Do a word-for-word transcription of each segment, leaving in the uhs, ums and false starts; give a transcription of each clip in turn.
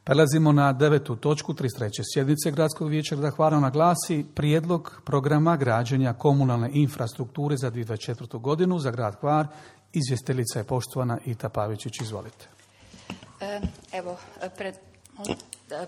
Prelazimo na devetu točku trideset treće sjednice Gradskog vijeća grada Hvarana, glasi prijedlog programa građenja komunalne infrastrukture za dvije tisuće dvadeset četvrtu. godinu za grad Hvar. Izvjestiteljica je poštovana Ita Pavičić. Izvolite. Evo, pred,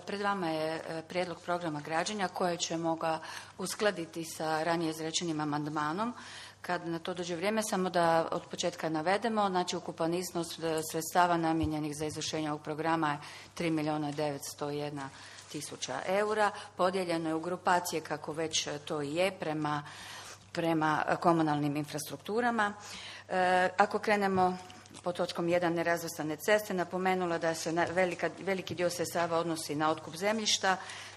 pred vama je prijedlog programa građenja koje ćemo ga uskladiti sa ranije izrečenim amandmanom. Kad na to dođe vrijeme, samo da od početka navedemo, znači ukupan iznos sredstava namijenjenih za izvršenje ovog programa je tri milijuna devetsto jedna tisuća eura. Podijeljeno je u grupacije, kako već to i je, prema, prema komunalnim infrastrukturama. E, ako krenemo po točkom jedan nerazvrstane ceste, napomenula da se velika, veliki dio sredstava odnosi na otkup zemljišta.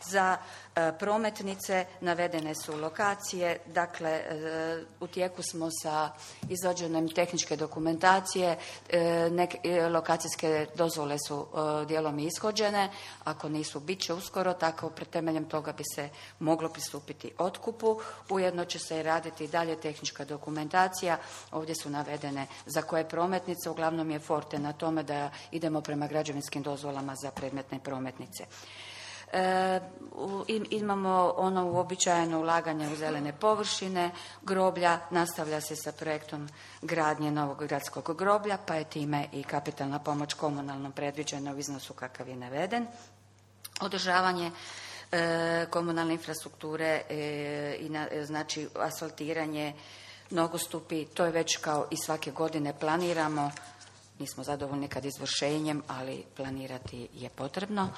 Za e, prometnice navedene su lokacije, dakle e, u tijeku smo sa izvođenjem tehničke dokumentacije, e, nek, e, lokacijske dozvole su e, dijelom ishođene, ako nisu bit će uskoro, tako pred temeljem toga bi se moglo pristupiti otkupu. Ujedno će se i raditi dalje tehnička dokumentacija, ovdje su navedene za koje prometnice, uglavnom je forte na tome da idemo prema građevinskim dozvolama za predmetne prometnice. E, imamo ono uobičajeno ulaganje u zelene površine, groblja, nastavlja se sa projektom gradnje novog gradskog groblja, pa je time i kapitalna pomoć komunalnom predviđena u iznosu kakav je naveden. Održavanje e, komunalne infrastrukture e, i na, znači asfaltiranje, nogostupi, to je već kao i svake godine planiramo. Nismo zadovoljni kad izvršenjem, ali planirati je potrebno.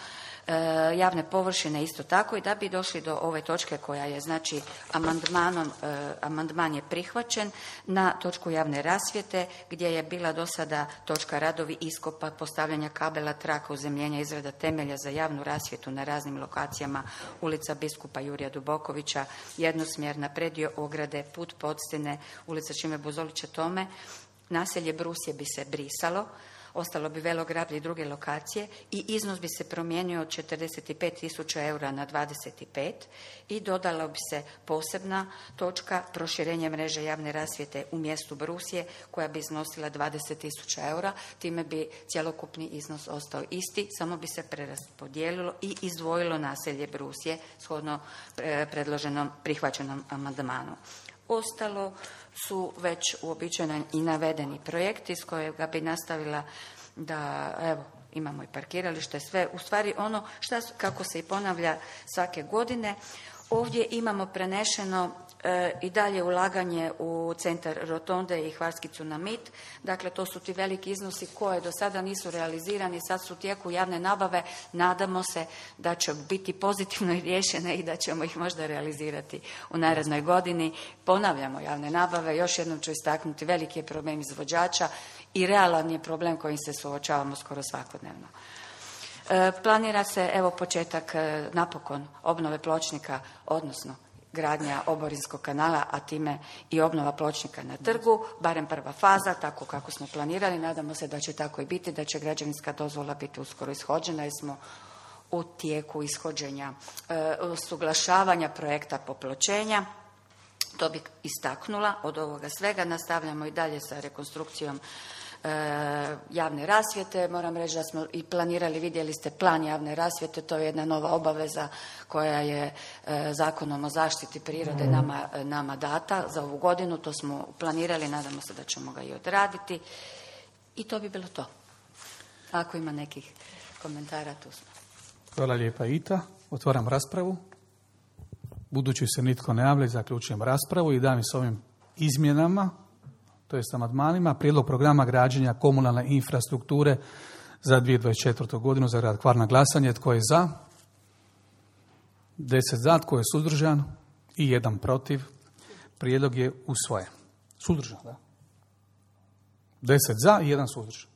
E, javne površine isto tako, i da bi došli do ove točke koja je, znači, amandmanom, e, amandman je prihvaćen na točku javne rasvjete, gdje je bila do sada točka radovi iskopa, postavljanja kabela, traka, uzemljenja, izrada temelja za javnu rasvjetu na raznim lokacijama, ulica Biskupa Jurija Dubokovića, jednosmjerna, predio ograde, put Podstine, ulica Šime Buzolića Tome. Naselje Brusje bi se brisalo, ostalo bi Velograblje i druge lokacije i iznos bi se promijenio od četrdeset pet tisuća eura na dvadeset pet i dodala bi se posebna točka proširenje mreže javne rasvjete u mjestu Brusje koja bi iznosila dvadeset tisuća eura. Time bi cjelokupni iznos ostao isti, samo bi se preraspodijelilo i izdvojilo naselje Brusje shodno predloženom prihvaćenom amandmanu. Ostalo su već uobičajeni i navedeni projekti s kojega bi nastavila da, evo, imamo i parkiralište, sve, u stvari ono šta, kako se i ponavlja svake godine. Ovdje imamo prenešeno e, i dalje ulaganje u centar Rotonde i Hvarski Cunamit. Dakle, to su ti veliki iznosi koje do sada nisu realizirani, sad su u tijeku javne nabave. Nadamo se da će biti pozitivno riješene i da ćemo ih možda realizirati u narednoj godini. Ponavljamo javne nabave, još jednom ću istaknuti, veliki je problem izvođača i realan je problem kojim se suočavamo skoro svakodnevno. E, planira se, evo, početak e, napokon obnove pločnika, odnosno gradnja oborinskog kanala, a time i obnova pločnika na trgu, barem prva faza, tako kako smo planirali. Nadamo se da će tako i biti, da će građevinska dozvola biti uskoro ishođena, jer smo u tijeku ishođenja, e, usuglašavanja projekta popločenja. To bi istaknula od ovoga svega. Nastavljamo i dalje sa rekonstrukcijom E, javne rasvjete. Moram reći da smo i planirali, vidjeli ste plan javne rasvjete, to je jedna nova obaveza koja je e, Zakonom o zaštiti prirode nama, nama data za ovu godinu. To smo planirali, nadamo se da ćemo ga i odraditi. I to bi bilo to. Ako ima nekih komentara, tu smo. Hvala lijepa, Ita. Otvaram raspravu. Budući se nitko ne javlja, zaključujem raspravu i dajem s ovim izmjenama, to je s amandmanima, prijedlog programa građenja komunalne infrastrukture za dvije tisuće dvadeset četvrtu. godinu za grad Hvar na glasanje. Tko je za? Deset za. Tko je suzdržan? I jedan protiv. Prijedlog je usvojen. Suzdržan, da? Deset za i jedan suzdržan.